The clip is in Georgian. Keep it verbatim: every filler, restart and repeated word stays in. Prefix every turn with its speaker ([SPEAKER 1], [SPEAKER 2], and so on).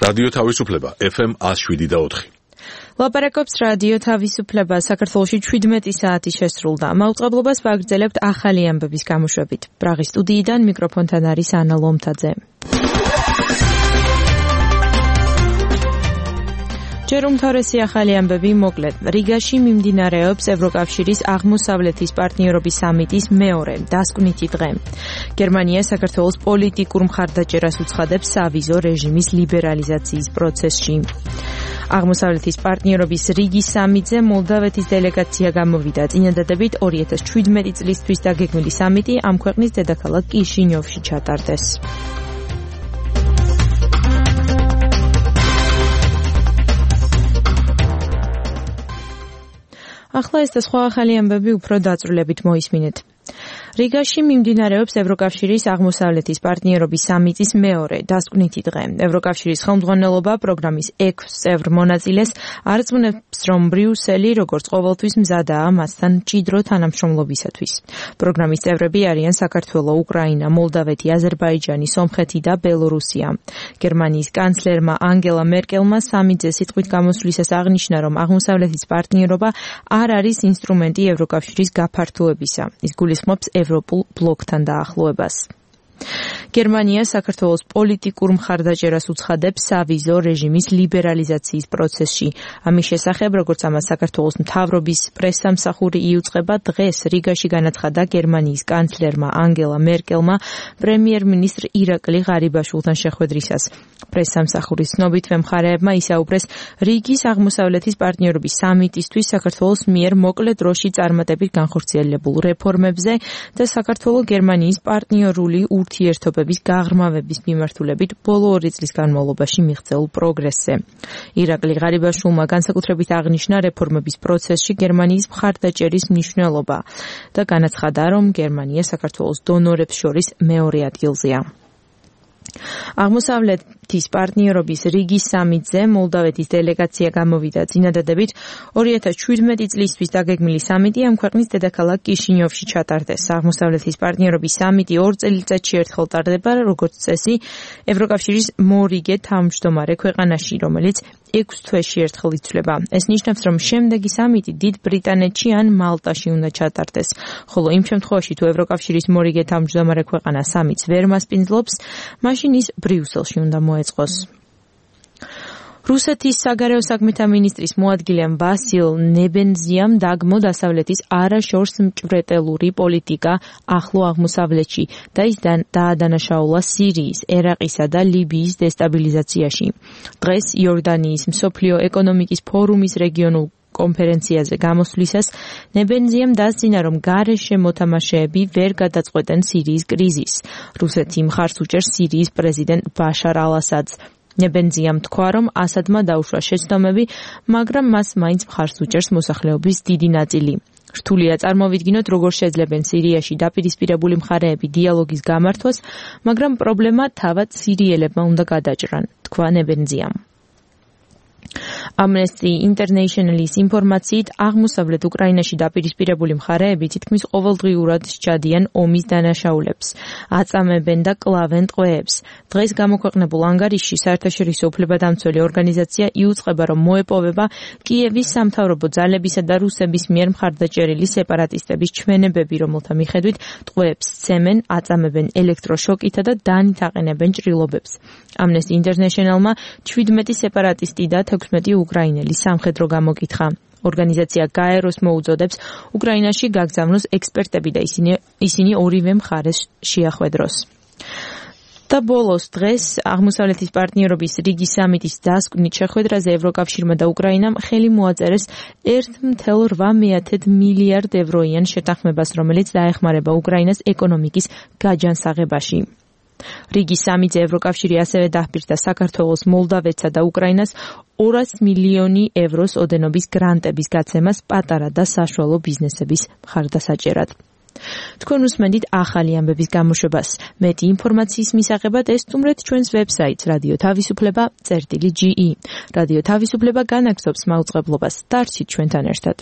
[SPEAKER 1] რადიო თავისუფლება ეფ ემ one oh seven point four.
[SPEAKER 2] ლაპარაკობს რადიო თავისუფლება. საქართველოში შვიდმეტი საათი შესრულდა. მაუწყებლობას ვაგრძელებთ ახალი ამბების გამოშვებით. პრაღის სტუდიიდან მიკროფონთან არის ანა ლომთაძე. ჯერ უმთავრესი ახალი ამბები მოკლედ. რიგაში მიმდინარეობს ევროკავშირის აღმოსავლეთის პარტნიორობის სამიტის მეორე დასკვნითი დღე. გერმანია საქართველოს პოლიტიკურ მხარდაჭერას უცხადებს სავიზო რეჟიმის ლიბერალიზაციის პროცესში. აღმოსავლეთის პარტნიორობის რიგის სამიტზე მოლდავეთის დელეგაცია გამოვიდა. წინადადებით ორი ათას შვიდმეტი წლისთვის დაგეგმილი სამიტი ამ ქვეყნის დედაქალაქ კიშინიოვში ჩატარდეს. ახლა ეს და სხვა ახალი ამბები უფრო დაწვრილებით მოისმინეთ. რიგაში მიმდინარეობს ევროკავშირის აღმოსავლეთის პარტნიორობის სამიტის მეორე დასკვნითი დღე. ევროკავშირის ხელმძღვანელობა პროგრამის ექვს წევრ მონაწილეს არწმუნებს, რომ ბრიუსელი როგორც ყოველთვის მზადაა მასთან მჭიდრო თანამშრომლობისათვის. პროგრამის წევრები არიან საქართველო, უკრაინა, მოლდავეთი, აზერბაიჯანი, სომხეთი და ბელორუსია. გერმანიის კანცლერმა ანგელა მერკელმა სამიტზე სიტყვით გამოსვლისას აღნიშნა, რომ აღმოსავლეთის პარტნიორობა არ არის ინსტრუმენტი ევროკავშირის გაფართოებისა. ის გულისხმობს ევროპულ ბლოკთან დაახლოებას. გერმანია საქართველოს პოლიტიკურ მხარდაჭერას უცხადებს სავიზო რეჟიმის ლიბერალიზაციის პროცესში. ამის შესახებ, როგორც ამას საქართველოს მთავრობის პრესსამსახური იუწყება, დღეს რიგაში განაცხადა გერმანიის კანცლერმა ანგელა მერკელმა პრემიერ-მინისტრ ირაკლი ღარიბაშვილთან შეხვედრისას. პრესსამსახურის ცნობით მემხარეებმა ისაუბრეს რიგის აღმოსავლეთის პარტნიორობის სამიტისთვის საქართველოს მიერ მოკლე დროში წარმატებით განხორციელებულ რეფორმებზე და საქართველო-გერმანიის პარტნიორული ურთიერთობების გაღრმავების მიმართულებით ბოლო ორი წლის განმავლობაში მიღწეულ პროგრესზე. ირაკლი ღარიბაშვილმა განსაკუთრებით აღნიშნა რეფორმების პროცესში გერმანიის მხარდაჭერის მნიშვნელობა და განაცხადა, რომ გერმანია საქართველოს დონორებს შორის მეორე ადგილზეა. აღმოსავლეთის პარტნიორობის რიგის სამიტზე მოლდავეთის დელეგაცია გამოვიდა. წინადადებით ორი ათას შვიდმეტი წლისთვის დაგეგმილი სამიტი ამ ქვეყნის დედაქალაქ კიშინიოვში ჩატარდეს. აღმოსავლეთის პარტნიორობის სამიტი ორ წელიწადში ერთხელ ტარდება, როგორც წესი, ევროკავშირის მორიგე თავმჯდომარე ქვეყანაში, რომელიც ექვს თვეში ერთხელ იცვლება. ეს ნიშნავს, რომ შემდეგი სამიტი დიდ ბრიტანეთში ან მალტაში უნდა ჩატარდეს, ხოლო იმ შემთხვევაში, თუ ევროკავშირის მორიგე თავმჯდომარე ქვეყანა სამიტს ვერ მასპინძლობს, მაშინ ის ბრიუსელში უნდა მოეწყოს. რუსეთის საგარეო საქმეთა მინისტრის მოადგილემ ვასილ ნებენზიამ დაგმო დასავლეთის არაშორს მჭვრეტელური პოლიტიკა ახლო აღმოსავლეთში და ის დაადანაშაულა სირიის, ერაყისა და ლიბიის დესტაბილიზაციაში. დღეს იორდანიის მსოფლიო ეკონომიკის ფორუმის რეგიონულ კონფერენციაზე გამოსვლისას ნებენზიამ დასძინა, რომ გარეშე მოთამაშეები ვერ გადაწყვეტენ სირიის კრიზისს. რუსეთი მხარს უჭერს სირიის პრეზიდენტ ბაშარ ალ-ასადს. ნებენზიამ თქვა, რომ ასადმა დაუშვა შეცდომები, მაგრამ მას მაინც მხარს უჭერს მოსახლეობის დიდი ნაწილი. რთულია წარმოვიდგინოთ, როგორ შეძლებენ სირიაში დაპირისპირებული მხარეები დიალოგის გამართვას, მაგრამ პრობლემა თავად სირიელებმა უნდა გადაჭრან, თქვა ნებენზიამ. Amnesty International-ის ინფორმაციით, აღმოსავლეთ უკრაინაში დაპირისპირებული მხარეები თითქმის ყოველდღიურად სჭადიან ომის დანაშაულებს, აწამებენ და კლავენ ტყვეებს. დღეს გამოქვეყნებულ ანგარიშში საერთაშორისო უფლებადამცველი ორგანიზაცია იუწყება, რომ მოეპოვება კიევის სამთავრობო ძალებისა და რუსების მიერ მხარდაჭერილი სეპარატისტების ჩვენებები, რომელთა მიხედვით ტყვეებს სცემენ, აწამებენ ელექტროშოკითა და დანით ჭრილობებს. Amnesty International-მა შვიდმეტი სეპარატისტი და თექვსმეტი უკრაინელი სამხედრო გამოკითხა. ორგანიზაცია გაეროს მოუწოდებს უკრაინაში გაგზავნოს ექსპერტები და ისინი, ისინი ორივე მხარეს შეახვედროს. და ბოლოს დღეს აღმოსავლეთის პარტნიორობის რიგის სამიტის დასკვნით შეხვედრაზე ევროკავშირმა და უკრაინამ ხელი მოაწერეს ერთ კoma რვა მილიარდ ევროიან შეთანხმებას, რომელიც დაეხმარება უკრაინას ეკონომიკის გაჯანსაღებაში. რიგის სამიტზე ევროკავშირი ასევე დაჰპირდა საქართველოს, მოლდავეთსა და უკრაინას ორასი მილიონი ევროს ოდენობის გრანტების გაცემას პატარა და საშუალო ბიზნესების მხარდასაჭერად. თქვენ უსმენთ ახალი ამბების გამოშვებას. მეტი ინფორმაციის მისაღებად ესტუმრეთ ჩვენს ვებსაიტს რადიო თავისუფლება წერტილი ჯი ი. რადიო თავისუფლება განაგზობს მაუწყებლობას. დარჩით ჩვენთან ერთად.